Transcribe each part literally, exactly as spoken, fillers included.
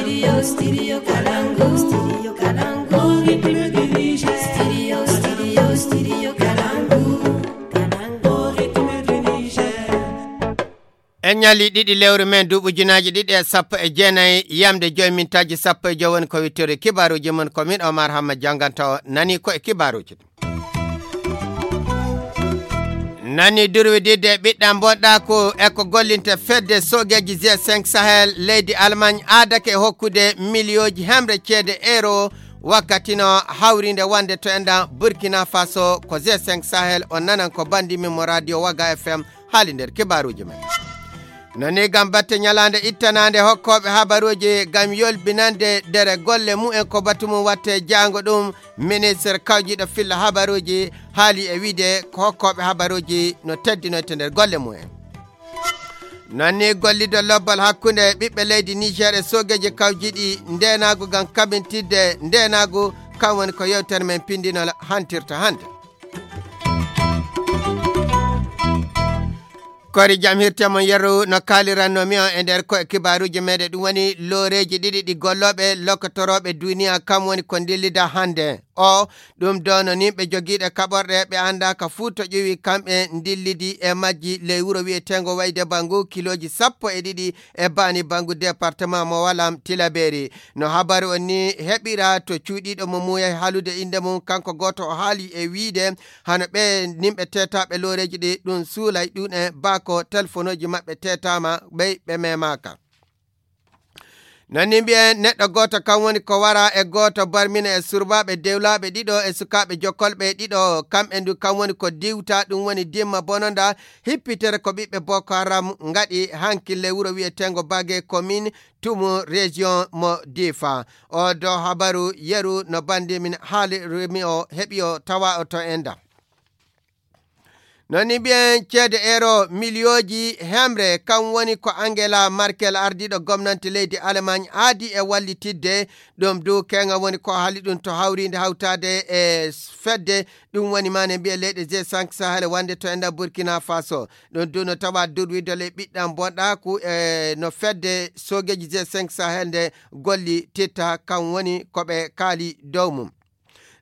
Studio, Studio Kalangu, Studio Kalangu, Studio, Studio, Studio Kalangu, Kalangu, Niger. En ñalli ɗiɗi lewru men duuɓi ujunaaji ɗiɗi e sappo e jeenayi, yamde joyi mintaaji sappo e joyi woni ko wittori kibaaruuji mon. Ko min Omar Hamma jannganta o nani ko e kibaaruuji ɗi. Nani durwididde ɓiɗɗa mboɗɗa ko e ko gollinte fedde soogeeji G cinq Sahel leydi Allemagne aadake e hokkude miliyooji hemre ceede euro wakkati no hawrinde wonde to enɗan Burkina Faso. Ko G cinq Sahel on nanan ko banndi min mo radio Waga F M haali nder kibaaruuji men. Nani gam batte ñalaande ittanaande hokkooɓe habaruuji gam yolbinande dere golle mumen ko batu mum watte jaango ɗum ministre kawjiiɗo filla habaruuji haali e wiide ko hokkooɓe habaruuji no teddinoyte nder golle mumen. Nani gollido lobbal hakkunde ɓiɓɓe leydi Niger e soogeeji kawjiiɗi ndeenaagu gam kabintidde ndeenaagu, kam woni ko yewtere men pindinol hantirta hannde. Kori jam hirte mon yeru no kaaliranno mi on e nder ko e kibaaruuji meɗen ɗum woni looreeji ɗiɗi ɗi gollooɓe lokkotorooɓe duniya kam woni ko ndillida hannde. O ɗum dono nimɓe jogiiɗe kaɓorɗe ɓe annda ka fuu to ƴuwi kamɓe ndillidi e majji ley wuro wiyeteengo wayde bangu kilooji sappo e ɗiɗi e baani bangu département mo walam tilaberi. No habaru on ni heɓira to cuuɗiiɗo mo muuyay haalude innde mum kanko gooto o haali e wiide hano ɓe nimɓe teetaaɓe looreeji ɗi ɗum suulay ɗum e baako telefonooji maɓɓe teetaama ɓey ɓe memaaka. Nani mbiyen neɗɗo gooto kam woni ko wara e gooto barmina e surbaaɓe dewlaaɓe ɗiɗo e sukaaɓe jokkolɓe ɗiɗo kamɓe ndu kam woni ko diwta ɗum woni dimma bononda hippitere ko ɓiɓɓe Boko Haram ngaɗi hanki ley wuro wiyeteengo Bage commune Tumu région mo Difa. O do habaru yeru no bandi min haali remi o heɓi o tawa o to enda. Noni mbiyen ceede euro miliyooji hemre kam woni ko Angela Merkel ardiiɗo gomnanti leydi Allemagne aadi e wallitidde ɗum du kenga woni ko haali ɗum to hawriinde hawtaade e fedde ɗum woni mane mbiye leyɗe G cinq Sahel wonde to enda Burkina Faso. Ɗum du no tawa durwidde ley ɓiɗɗam bonɗa ku e no fedde soogeeji G cinq Sahel nde golli titta kam woni ko ɓe kaali dow mum.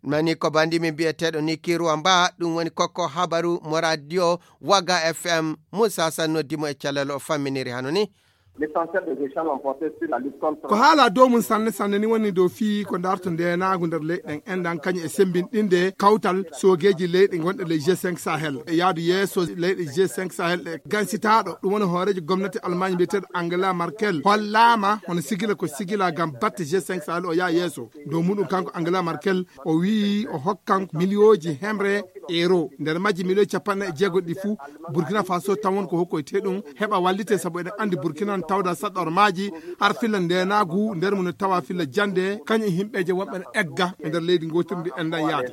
Mani ko bandi min biyeteeɗo Niki Ruwamba ɗum woni kokko habaru mo radio Waga F M. Musa San noddi mo e calal o famminiri hano ni. L'essentiel des échanges ont porté sur la lutte contre. Ko haala dow mum sanne sanne ni woni dow fii ko darto ndenaagu nder leyɗen enɗan kañum e sembinɗinde kawtal soogeeji leyɗe gonɗe ley G cinq Sahel e yaadu yeeso leyɗe G cinq Sahel ɗe gansitaaɗo ɗum woni hooreejo gomnati Allemagne mbiyeteeɗo Angela Merkel hollaama hono sigila ko sigila ngam batte G cinq Sahel o yaa yeeso. Dow muɗum kanko Angela Merkel o wii o hokkan miliyooji hemre euro nder majji miliyooji capanɗe jeego ɗi fuu Burkina Faso tan won ko hokkoyte ɗum heɓa wallite sabu eɗen anndi Burkina no tawda saɗɗormaaji har filla ndenaagu nder mum no tawa filla jannde kañum e yimɓeeje wonɓe no egga e nder leydi ngootirndi enɗan yaade.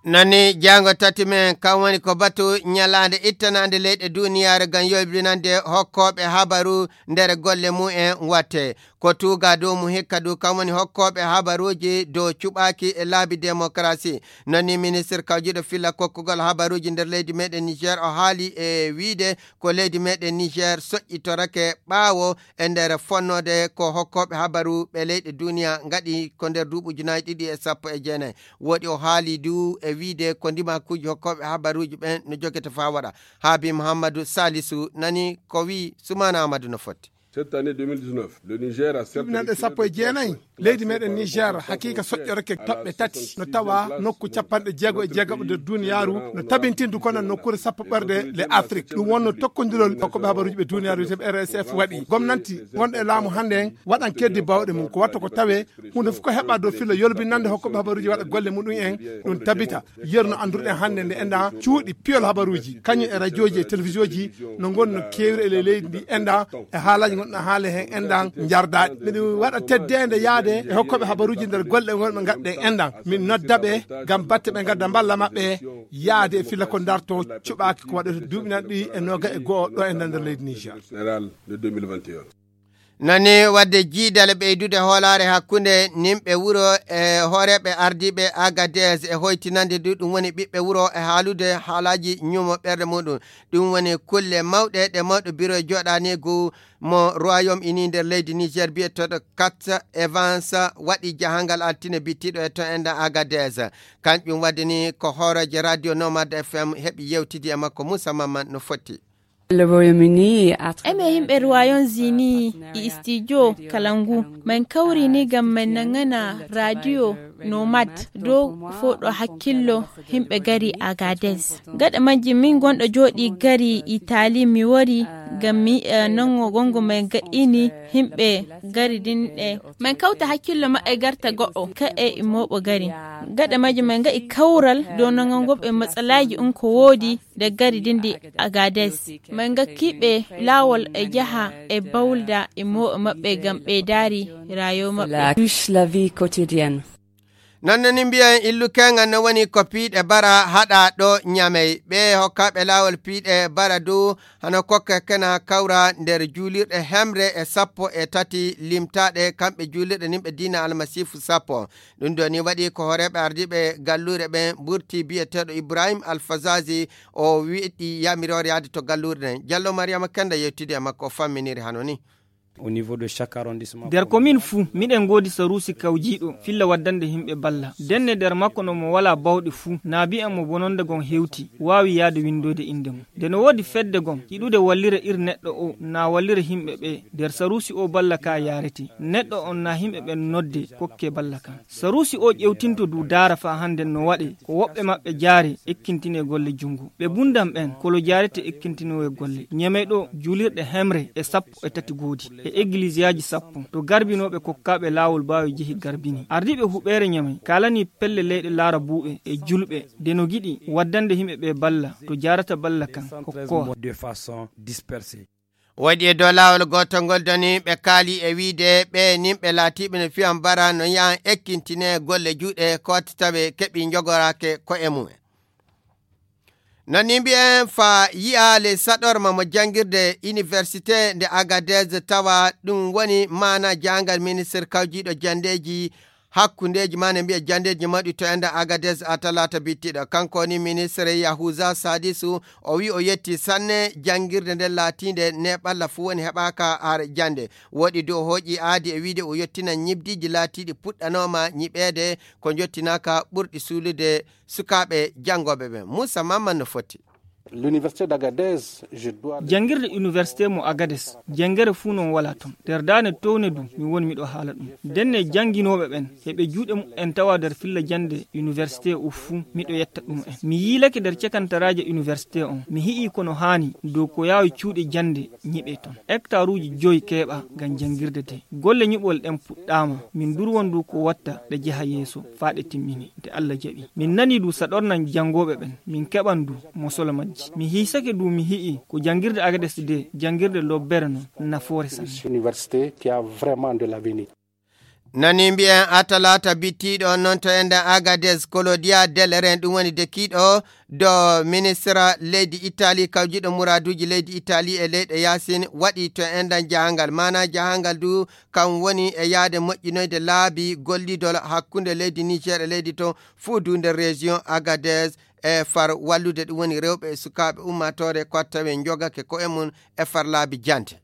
Nani jaango tati men kam woni ko batu ñalaande ittanaande leyɗe duniyaaru ngam yoybinande hokkooɓe habaru nder golle mumen watte. Ko tuuga dow mum hikka du kam woni hokkooɓe habaruuji dow cuɓaaki e laabi demokarasi. Nani ministir kawjiiɗo filla kokkugol habaruuji nder leydi meɗen Niger o haali e wiide ko leydi meɗen Niger soƴƴitorake ɓaawo e nder fonnoode ko hokkooɓe habaru ɓe leyɗe duniya ngaɗi ko nder duuɓi ujunaaji ɗiɗi e sappo e jeenayi. Woɗi o haali du e wiide ko ndimakuuji hokkooɓe habaruuji ɓen no jogete faa waɗa. Haabi Muhammadu Salisu nani ko wii Sumaana Amadu no fotti. Cette année deux mille dix-neuf, le Niger a certes duuɓi nanɗe sappo e jeenayi leydi meɗen Niger hakiika soƴƴorake toɓɓe tati no tawa nokku capanɗe jeego e jeegaɓo nder duniyaaru no tabintindu kono nokkuure sappo ɓerde le Afrique ɗum wonno tokkondirol hokkoɓe habaruuji ɓe duniyaaru wiyeteɓe R S F waɗi gomnanti gonɗo e laamu hannde en waɗan keddi bawɗe mum ko watta ko tawe huunde fof ko heɓa dow filla yolbinande hokkoɓe habaruuji waɗa golle muɗum en ɗum tabita. Yeru no annduɗen hannde nde enɗa cuuɗi piyol habaruuji kañum e radiooji e télévisionji no ngoni no keewri e ley leydi ndi enɗa e haalaaji gonɗo haale heen enɗan njardaaɗi miɗo waɗa teddeende yaade e hokkooɓe habaruuji nder golle gonɓe ngaɗɗen enɗan min nodda ɓe ngam batte ɓe ngadda mballa maɓɓe yaade e filla ko darto cuɓaaki ko waɗata duuɓi nanɗi e nooga e go'o ɗo e nder leydi Niger. Général de deux mille vingt et un. Nani wadde jiidale ɓeydude hoolaare hakkunde nimɓe wuro e hooreeɓe ardiiɓe Agadez e hoytinande du ɗum woni ɓiɓɓe wuro e haalude haalaaji ñumo ɓerɗe muɗum. Ɗum woni kulle mawɗe ɗe mawɗo biro jooɗaniigu mo Royaume Uni nder leydi Niger biyeteeɗo Kat Evans waɗi jahangal altine bittiiɗo e to enɗan Agadez. Kanƴum waɗi ni ko hooreejo Radio Nomad F M heɓi yewtidi e makko Moussa Mamman no foti. Eme yimɓe Royaume Uni e studio kala ngu, min kawri ni ngam min nangana radio Nomad dow fow ɗo hakkillo yimɓe gari Agadez. Gaɗa majji min gonɗo jooɗi gari Italie mi wari ngam mi yi'a nango gongo min gaɗini yimɓe gari din ɗe. Min kawta hakkillo maɓɓe garta goɗɗo ka'e immoɓo gari. Gaɗa majji min ga'i kawral dow nango ɓe matsalaaji un ko woodi de gari dindi Agadez. Min gakkiɓe laawol e jaha e bawlda e mo'o maɓɓe ngam ɓeydaari raayo maɓɓe. Touche la vie quotidienne. Noon no ni mbiyen illu keŋal no woni ko piiɗe bara haɗa ɗo ñamey. Ɓe hokkaaɓe laawol piiɗe bara du hano kokke kena kawra nder juulirɗe hemre e sappo e tati limtaaɗe kamɓe juulirɗe nimɓe diina almasiifu sappo. Ɗum ɗo ni waɗi ko hooreeɓe ardiiɓe galluure ɓen ɓurti biyeteeɗo Ibrahim Alfazazi o wiɗi yamiroore yaade to galluure ɗen. Jallo Mariama Kenda yewtidi e makko o famminiri hano ni. Au niveau de chaque arrondissement. Nder commune fuu miɗen ngoodi saruusi kawjiiɗo filla waddande yimɓe balla. Denne nder makko no mo walaa bawɗe fuu na bi'en mo bononde gon hewti waawi yaade winndoyde innde mum. Nde no woodi fedde gon yiɗude wallira ir neɗɗo o na wallira yimɓe ɓe nder saruusi o balla ka yaarete. Neɗɗo on na yimɓe ɓen nodde kokke balla kan. Saruusi o ƴewtinto du daara faa hannden no waɗe ko woɓɓe maɓɓe jaare ekkintinee golle junngo. Ɓe bunndan ɓen kolo jaarete ekkintinoowe golle. Ñemey ɗo juulirɗe hemre e sappo e tati goodi e egiliisiyaaji sappo to garbinooɓe kokkaaɓe laawol baawi jehi garbini. Ardiiɓe huɓeere Ñamey kaalanii pelle leyɗe laara buuɓe e julɓe de no giɗi waddande yimɓe ɓe balla to jaarata balla kan kokkowa. Waɗi e dow laawol gootol ngol doni ɓe kaali e wiide ɓe nimɓe laatiiɓe no fiyan bara no yahan ekkintinee golle juuɗe ko watta tawe keɓi njogoraake ko e mumen. No ni mbiyen fa yi'aale saɗorma mo janngirde université nde Agadez tawa ɗum woni maana jahangal ministre kawjiiɗo janndeeji hakkundeeji ma ne mbiya janndeeji mawɗi to enda Agadez a talaata bittiɗo. Kanko woni ministre Yahuza Sadisu o wi o yetti sanne janngirde nde laatiinde ne ɓalla fuu woni heɓaaka har jannde. Woɗi du o hooƴi aadi e wiide o yettina ñibdiiji laatiiɗi puɗɗanooma ñiɓeede ko njottinaaka ɓurɗi suulude sukaaɓe janngooɓe ɓen. Muusa Mamman no foti. L'université d'Agadez, je dois le Janngirde université mo Agades, janngere fuu non walaa ton. Nder daane towne du, mi woni miɗo haala ɗum. Ndenne jannginooɓe ɓen, heɓe juuɗe mu'en tawa nder filla jannde université o fuu, miɗo yetta ɗum en. Mi yiilake nder cekantaraaje université on, mi hi'i kono haani dow ko yaawi cuuɗi jannde ñiɓe ton. Hektaruuji joyi keeɓa ngam janngirde de. Golle ñiɓol ɗen puɗɗaama, min durwon du ko watta ɗe jeha yeeso faa ɗe timmini, nde Allah jaɓi. Min nanii du saɗornan janngooɓe ɓen, min keɓan du mosolo majji. Mi hiisake du mi hi'i ko janngirde Agades de, janngirde lobbere non, nafoore sanne. Université qui a vraiment de l'avenir. Nani mbi'en a talaata bittiiɗo noon to enden Agades, Claudia Del Ren, ɗum woni dekiiɗo do ministra leydi Itali, kawjiɗo muraaduuji leydi Itali e leyɗe yaasin, waɗi to enden jahangal. Maana jahangal du kam woni e yaade moƴƴinoyde laabi gollidol hakkunde leydi Niger e leydi to fuu du nder région Agadez e far wallude ɗum woni rewɓe e sukaaɓe ummaatoore ko tawe njogake ko'e mum e far laabi jante.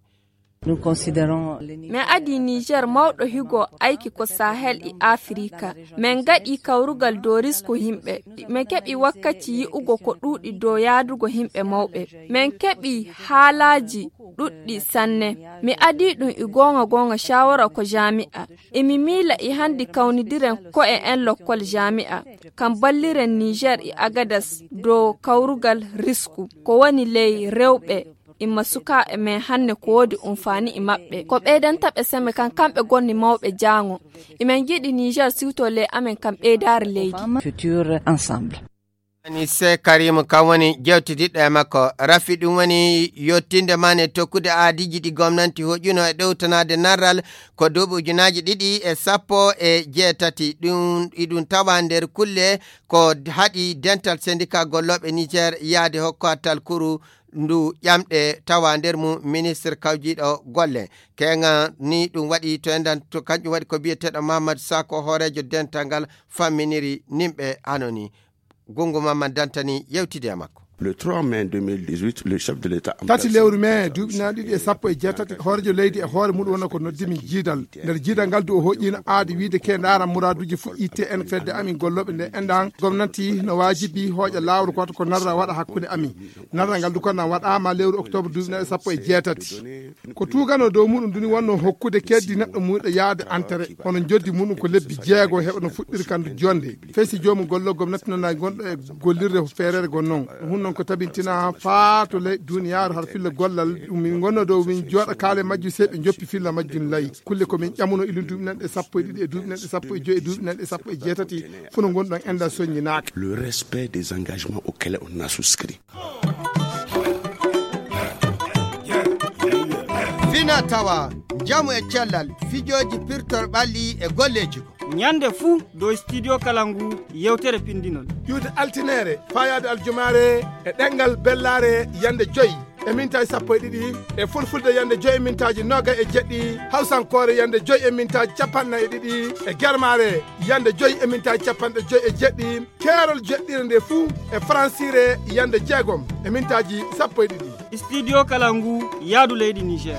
Nous considérons les Min adi Niger mawɗo higo ayki ko Sahel e Afrika. Min gaɗi kawrugal dow risku yimɓe. Min keɓi wakkaci yi'ugo ko ɗuuɗi dow yaadugo yimɓe mawɓe. Min keɓi haalaaji ɗuɗɗi sanne. Mi adi ɗum e goonga goonga shawara ko jami'a. Emi miila e handi kawnidiren ko'e en lokkol jami'a. Kam balliren Niger e Agadas dow kawrugal risku. Ko woni ley rewɓe imma sukaaɓe men hanne ko woodi umfaani e maɓɓe. Ko ɓeydanta ɓe seme kan kamɓe gonni mawɓe jaango. Emin njiɗi Niger siwto ley amen kam ɓeydaare leydi. Futur ensemble. Anise Karim kam woni jewtidiɗɗo e makko. Rafi ɗum woni yottinde man e tokkude aadiiji ɗi gomnanti hoƴuno e ɗowtanaade narral ko duuɓi ujunaaji ɗiɗi e sappo e jeetati. Ɗum, iɗum tawa nder kulle ko haɗi dental sendika gollooɓe Niger yaade hokko talkuru ndu ƴamɗe tawa nder mum ministre kawjiiɗo golle. Keŋa ni ɗum waɗi to enɗan to kanƴum waɗi ko biyeteeɗo Mamadou Sako, hooreejo dental ngal famminiri nimɓe hano ni. Gungu Mamman Dantani yewtidi e makko. Le trois mai deux mille dix-huit, le chef de l'État tati lewru mai duuɓi na ɗiɗi e sappo e jeetati, hooreejo leydi e hoore muɗum wonno ko noddimi jiidal. Nder jiidal ngal du o hoƴƴino aadi wiide ke ndaara muraaduuji fuɗɗi te en fedde amin gollooɓe nde enɗan gomnati no waajibi hooƴa laawol gooto ko narra waɗa hakkunde amin. Narral ngal du ko nan waɗaama lewru octobre duuɓi na e sappo e jeetati. Ko tuugano dow muɗum duni wonno hokkude keddi neɗɗo muɗum yaade antere, hono joddi muɗum ko lebbi jeego heɓa no fuɗɗiri kandu jonde. Fay si joomum gollo gomnati nana gonɗo e gollirde feerere gon non. Ɗum hun non ko tabintina faa to ley duniyaaru har filla gollal ɗum min gonno dow min jooɗa kaale majjum sey ɓe joppi filla majjum lay. Kulle ko min ƴamuno ilin duuɓi nanɗe sappo e ɗiɗi e duuɓi nanɗe sappo e joyi e duuɓi nanɗe sappo e jeetati. Funo gonɗon enda soññinaaka. Le respect des engagements auxquels on a souscrit. Fina tawa, njamu e cellal, fijooji pirtor ɓalli e golleeji. Ñande fuu dow studio kala ngu yewtere pindinol. Ƴuwde altineere, faayaade aljumaare e ɗemngal bellaare yande joyi e mintaaji sappo e ɗiɗi, e fulfulde yande joyi e mintaaji nooga e jeɗɗi, hawsankoore yande joyi e mintaaji capanɗe nayi e ɗiɗi, e germaare yande joyi e mintaaji capanɗe joyi e jeɗɗi, keerol jeɗɗire nde fuu e faransiire yande jeegom e mintaaji sappo e ɗiɗi. Studio kala ngu yaadu leydi Niger.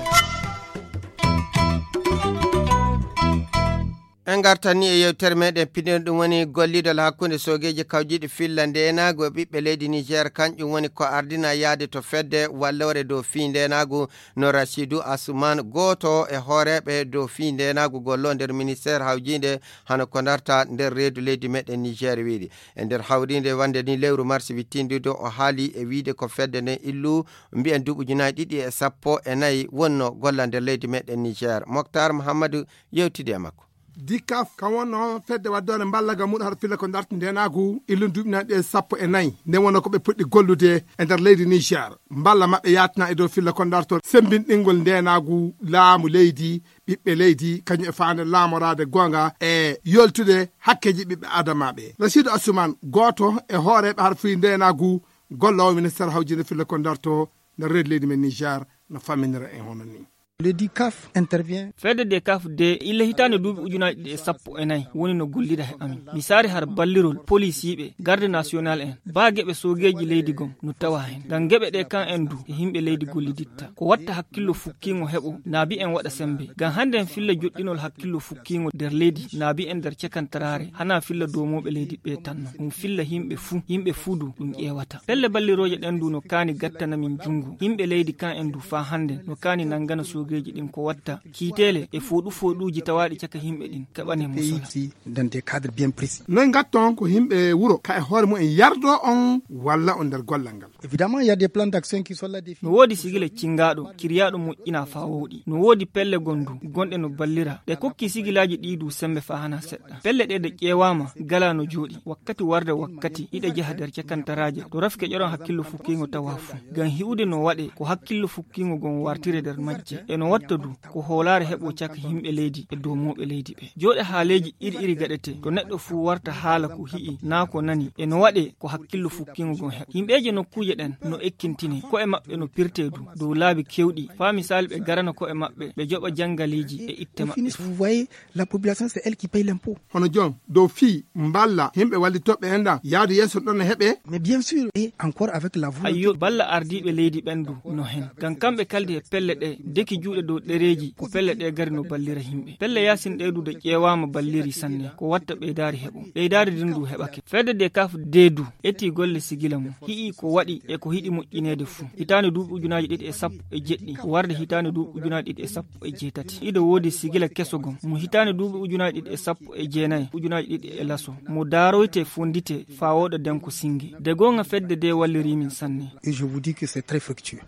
En ngartani e yewtere meɗen pindinol, ɗum woni gollidal hakkunde soogeeji kawjiiɗi filla ndeenaagu e ɓiɓɓe leydi Niger. Kanƴum woni ko ardina yaade to fedde walloore dow fii ndeenaagu no Rasidu Asuman, gooto e hooreeɓe dow fii ndeenaagu gollo nder ministeer hawjiinde hano ko ndarta nder reedu leydi meɗen Niger wiɗi. E nder hawriinde wande ni lewru mars wittindido o haali e wiide ko fedde nden illu mbiyen duuɓi ujunaaji ɗiɗi e sappo e nayi wonno golla nder leydi meɗen Niger. Moktar Muhammadu yewtidi e makko. Dikaf kan wonno fedde waddoore mballa ga muɗum har filla ko darti ndenaagu illun duuɓi nanɗi e sappo e nayi. Nden wonno ko ɓe puɗɗi gollude e nder leydi Niger. Mballa maɓɓe yaatina e dow filla ko darto sembinɗingol ndenaagu laamu leydi, ɓiɓɓe leydi, kañum e faande laamoraade goonga e yoltude hakkeeji ɓiɓɓe adamaaɓe. Rasidu Asuman, gooto e hooreeɓe har fii ndenaagu, golloowo ministeer hawjinde filla ko darto nder reedu leydi men Niger, no famminira en hono ni. Le dikaf intervient. Fedde de kaf de illa hitaande duuɓi ujunaaji ɗiɗi e sappo e nayi woni no gollida he amin. Mi saari har ballirol polisiiɓe, garde national en, baa geɓe soogeeji leydi gom no tawa hen. Ngam geɓe ɗe kan en du e yimɓe leydi golliditta. Ko watta hakkillo fukkiingo heɓo, naabi en waɗa sembe. Ngam hannde en filla joɗɗinol hakkillo fukkiingo nder leydi, naabi en nder cakantaraare, hana filla doomooɓe leydi ɓe tan non. Ɗum filla yimɓe fuu, yimɓe fuu du ɗum ƴeewata. Pelle ballirooje ɗen du no kaani gattana min junngo. Yimɓe leydi kan en du faa hannde no kaani nanngana soogeeji ɗin ko watta kiiteele e fooɗu fooɗuuji tawaaɗi caka yimɓe ɗin keɓane musola. Pays dans des cadres bien précis. Noy ngatton ko yimɓe wuro ka e hoore mumen yardo on walla on nder gollal ngal? Évidemment, il y a des plans d'action qui sont là définis. No woodi sigila cingaaɗo, kiryaaɗo moƴƴinaa faa wowɗi. No woodi pelle gondu, gonɗe no ballira. Ɗe kokki sigilaaji ɗii du sembe faa hana seɗɗa. Pelle ɗe ɗe ƴeewaama, gala no jooɗi. Wakkati warde wakkati, iɗe jaha nder cakantaraaje. To rafke ƴoron hakkillo fukkiingo tawa fu. Ngam hi'ude no waɗe, ko hakkillo fukkiingo gon wartire nder majje. E no watta du, ko hoolaare heɓo caka yimɓe leydi e doomooɓe leydi ɓe. Jooɗe haaleeji iri iri gaɗete, to neɗɗo fuu warta haala ko hi'i, naa ko nani, e no waɗe ko hakkillo fukkiingo gon heɓa. Yimɓeeje nokkuuje ɗen no ekkintine, ko'e maɓɓe no pirte du, dow laabi kewɗi, faa misaali ɓe garana ko'e maɓɓe, ɓe joɓa jangaleeji e itte maɓɓe. Vous voyez, la population, c'est elle qui paye l'impôt. Hono jon, dow fii, mballa, yimɓe wallitooɓe en ɗan, yaadu yeeso ɗon no heɓe. Mais bien sûr, et encore avec la volonté. Ayyo, balla ardiiɓe leydi ɓen du no hen. Ngam kamɓe kaldi e pelle ɗe, deki juuɗe dow ɗereeji, ko pelle ɗe gari no ballira yimɓe. Pelle yaasin ɗe du de ƴeewaama balliri sanne, ko watta ɓeydaari heɓo. Ɓeydaari din du heɓake. Fedde de kaf de du, eti golle sigila mum. Hi'i ko waɗi e ko hiɗi moƴƴineede fu. Hitaande duuɓi ujunaaji ɗiɗi e sappo e jeɗɗi, warde hitaande duuɓi ujunaaji ɗiɗi e sappo e jeetati. Iɗo woodi sigila keso gom. Mo hitaande duuɓi ujunaaji ɗiɗi e sappo e jeenayi, ujunaaji ɗiɗi e laso. Mo daaroyte fondite faa wooɗa denko singe. De goonga fedde de walliri min sanne. Et je vous dis que c'est très fructueux.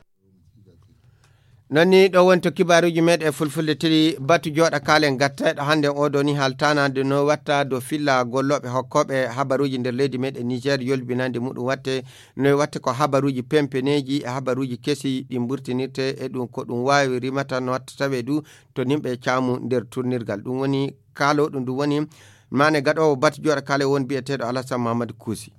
Non ni ɗo woni to kibaaruuji meɗen e fulfulde tiri batu jooɗa kaalen gattayɗo hannde o ɗo ni haaltanaade no watta dow filla gollooɓe hokkooɓe habaruuji nder leydi meɗen Niger yolbinande muɗum watte no watte ko habaruuji pempeneeji e habaruuji kesi ɗi mburtinirte e ɗum ko ɗum waawi rimata no watta tawe du to nimɓe caamu nder turnirgal. Ɗum woni kaalo ɗum ɗum woni mane gaɗoowo batu jooɗa kaale won biyeteeɗo Alassane Mamadou Kousi.